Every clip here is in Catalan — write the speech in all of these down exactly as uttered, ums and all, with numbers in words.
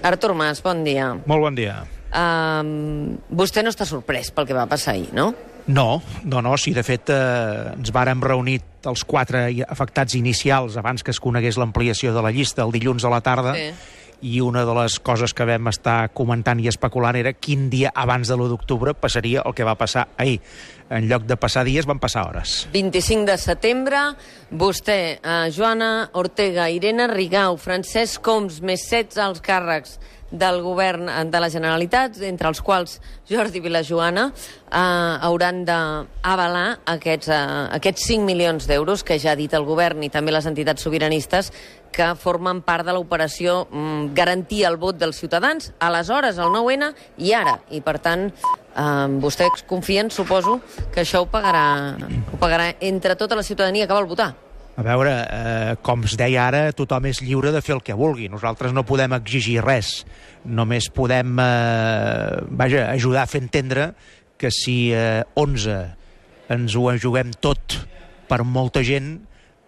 Artur Mas, bon dia. Molt bon dia. Um, vostè no està sorprès pel que va passar ahir, no? No, no, no, sí, de fet eh, ens vàrem reunir els quatre afectats inicials abans que es conegués l'ampliació de la llista el dilluns a la tarda, sí. I una de les coses que vam estar comentant i especulant era quin dia abans de l'u d'octubre passaria el que va passar ahir. En lloc de passar dies, van passar hores. vint-i-cinc de setembre, vostè, eh, Joana Ortega, Irene Rigau, Francesc Homs, més setze alts càrrecs del govern de la Generalitat, entre els quals Jordi Vilajoana, eh, hauran d'avalar aquests, eh, aquests cinc milions d'euros que ja ha dit el govern i també les entitats sobiranistes que formen part de l'operació mm, garantir el vot dels ciutadans, aleshores, el nou ene i ara. I, per tant, eh, vostès confien, suposo, que això ho pagarà, ho pagarà entre tota la ciutadania que vol votar. A veure, eh, com es deia ara, tothom és lliure de fer el que vulgui. Nosaltres no podem exigir res. Només podem eh, vaja, ajudar a fer entendre que si eh, onze ens ho juguem tot per molta gent,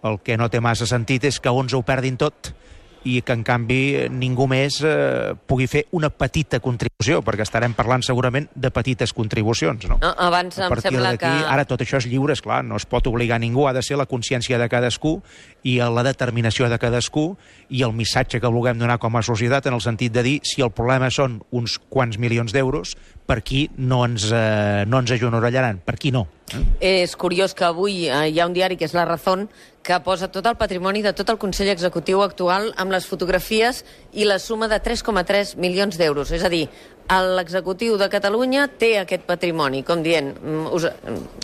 el que no té massa sentit és que onze ho perdin tot i que, en canvi, ningú més eh, pugui fer una petita contribució, perquè estarem parlant segurament de petites contribucions, no? no abans em sembla que... Ara tot això és lliure, esclar, no es pot obligar a ningú, ha de ser la consciència de cadascú i la determinació de cadascú i el missatge que vulguem donar com a societat en el sentit de dir si el problema són uns quants milions d'euros, per qui no ens, eh, no ens ajonorellaran, per qui no. Eh? És curiós que avui eh, hi ha un diari que és La Razón que posa tot el patrimoni de tot el Consell Executiu actual amb les fotografies i la suma de tres coma tres milions d'euros. És a dir, l'executiu de Catalunya té aquest patrimoni, com dient... Us...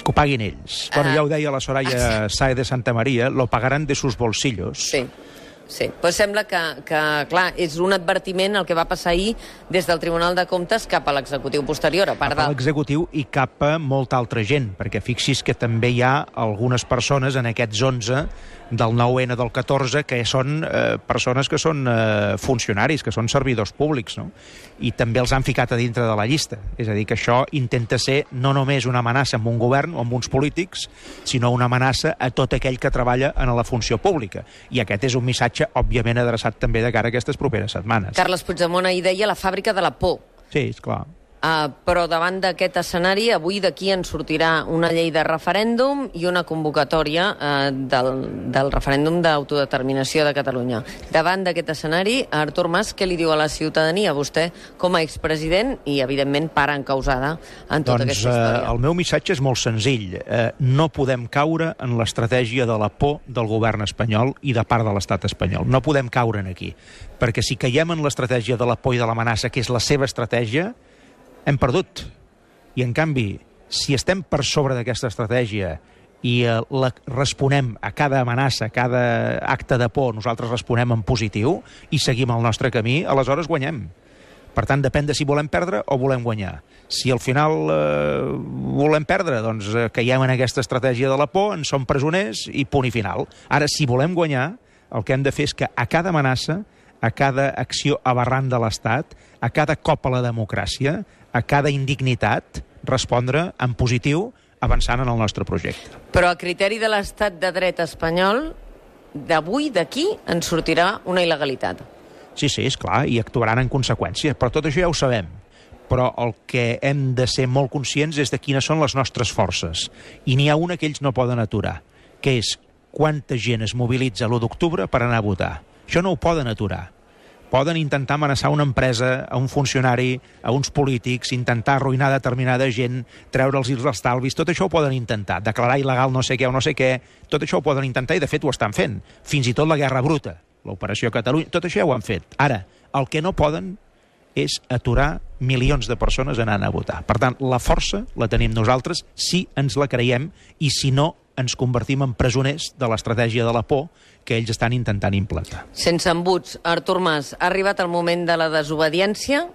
Que ho paguin ells. Uh... Bueno, ja ho deia la Soraya Sáez de Santa Maria, lo pagaran de sus bolsillos. Sí. Sí, però sembla que, que, clar, és un advertiment el que va passar ahir des del Tribunal de Comptes cap a l'executiu posterior, a part de... Cap a l'executiu i cap a molta altra gent, perquè fixi's que també hi ha algunes persones en aquests onze del nou ene del catorze que són eh, persones que són eh, funcionaris, que són servidors públics, no? I també els han ficat a dintre de la llista. És a dir, que això intenta ser no només una amenaça amb un govern o amb uns polítics, sinó una amenaça a tot aquell que treballa en la funció pública. I aquest és un missatge, òbviament, adreçat també de cara a aquestes properes setmanes. Carles Puigdemont ahir deia la fàbrica de la por. Sí, és clar. Uh, però davant d'aquest escenari, avui d'aquí en sortirà una llei de referèndum i una convocatòria uh, del, del referèndum d'autodeterminació de Catalunya. Davant d'aquest escenari, Artur Mas, què li diu a la ciutadania? Vostè, com a expresident i, evidentment, part encausada en tota doncs, aquesta història. Eh, el meu missatge és molt senzill. Eh, no podem caure en l'estratègia de la por del govern espanyol i de part de l'estat espanyol. No podem caure en aquí. Perquè si caiem en l'estratègia de la por i de l'amenaça, que és la seva estratègia, hem perdut. I, en canvi, si estem per sobre d'aquesta estratègia i eh, la responem a cada amenaça, a cada acte de por, nosaltres responem en positiu i seguim el nostre camí, aleshores guanyem. Per tant, depèn de si volem perdre o volem guanyar. Si al final eh, volem perdre, doncs eh, caiem en aquesta estratègia de la por, en som presoners i punt i final. Ara, si volem guanyar, el que hem de fer és que a cada amenaça, a cada acció aberrant de l'Estat, a cada cop a la democràcia, a cada indignitat, respondre en positiu, avançant en el nostre projecte. Però a criteri de l'estat de dret espanyol, d'avui, d'aquí, en sortirà una il·legalitat. Sí, sí, és clar, i actuaran en conseqüència, però tot això ja ho sabem. Però el que hem de ser molt conscients és de quines són les nostres forces. I n'hi ha una que ells no poden aturar, que és quanta gent es mobilitza l'u d'octubre per anar a votar. Això no ho poden aturar. Poden intentar amenaçar una empresa, a un funcionari, a uns polítics, intentar arruïnar determinada gent, treure'ls els estalvis, tot això ho poden intentar. Declarar il·legal no sé què o no sé què, tot això ho poden intentar i, de fet, ho estan fent. Fins i tot la guerra bruta, l'operació Catalunya, tot això ja ho han fet. Ara, el que no poden és aturar milions de persones anant a votar. Per tant, la força la tenim nosaltres si ens la creiem i si no ens convertim en presoners de l'estratègia de la por que ells estan intentant implantar. Sense embuts, Artur Mas, ha arribat el moment de la desobediència?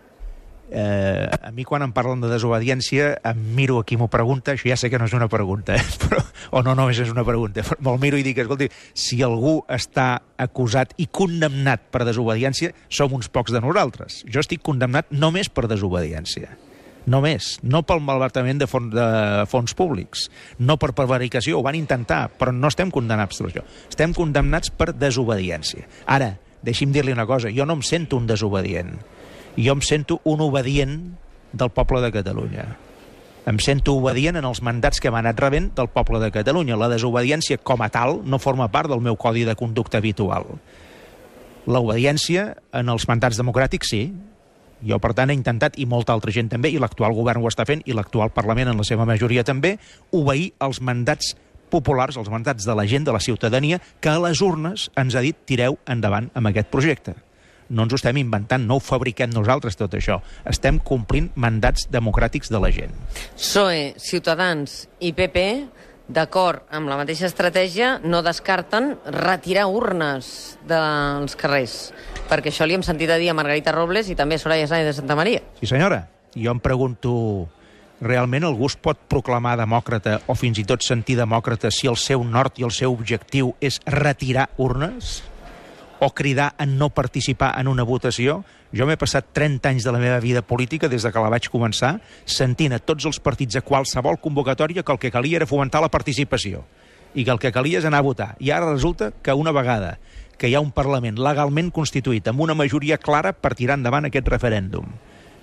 Eh, a mi quan em parlen de desobediència em miro a qui m'ho pregunta, això ja sé que no és una pregunta, eh? Però, o no només és una pregunta, me'l miro i dic, escolti, si algú està acusat i condemnat per desobediència, som uns pocs de nosaltres. Jo estic condemnat només per desobediència. Només, no pel malbaratament de fons, de fons públics, no per prevaricació, ho van intentar, però no estem condemnats per això. Estem condemnats per desobediència. Ara, deixi'm dir-li una cosa, jo no em sento un desobedient. Jo em sento un obedient del poble de Catalunya. Em sento obedient en els mandats que m'ha anat rebent del poble de Catalunya. La desobediència com a tal no forma part del meu codi de conducta habitual. L'obediència en els mandats democràtics sí. Jo, per tant, he intentat, i molta altra gent també, i l'actual govern ho està fent, i l'actual Parlament en la seva majoria també, obeir els mandats populars, els mandats de la gent, de la ciutadania, que a les urnes ens ha dit tireu endavant amb aquest projecte. No ens ho estem inventant, no ho fabriquem nosaltres tot això. Estem complint mandats democràtics de la gent. P S O E, Ciutadans i P P, d'acord amb la mateixa estratègia, no descarten retirar urnes dels carrers, perquè això li hem sentit a dir a Margarita Robles i també a Soraya Sáenz de Santa Maria. Sí, senyora. Jo em pregunto, realment algú es pot proclamar demòcrata o fins i tot sentir demòcrata si el seu nord i el seu objectiu és retirar urnes? O cridar a no participar en una votació? Jo m'he passat trenta anys de la meva vida política, des de que la vaig començar, sentint a tots els partits a qualsevol convocatòria que el que calia era fomentar la participació i que el que calia és anar a votar. I ara resulta que una vegada que hi ha un Parlament legalment constituït amb una majoria clara per tirar endavant aquest referèndum,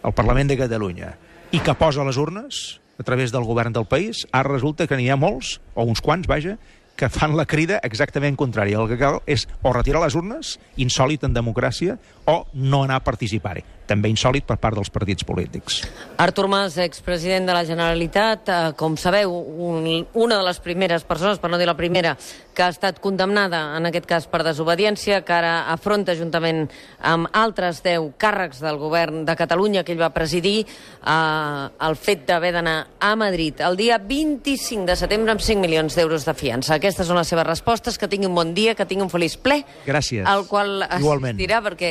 el Parlament de Catalunya, i que posa les urnes a través del govern del país, ara resulta que n'hi ha molts, o uns quants, vaja, que fan la crida exactament contrària. El que cal és o retirar les urnes, insòlit en democràcia, o no anar a participar-hi. També insòlit per part dels partits polítics. Artur Mas, expresident de la Generalitat, eh, com sabeu, un, una de les primeres persones, per no dir la primera, que ha estat condemnada, en aquest cas per desobediència, que ara afronta juntament amb altres deu càrrecs del govern de Catalunya que ell va presidir, eh, el fet d'haver d'anar a Madrid el dia vint-i-cinc de setembre amb cinc milions d'euros de fiança. Aquestes són les seves respostes. Que tingui un bon dia, que tingui un feliç ple. Gràcies. Al qual Igualment. assistirà, perquè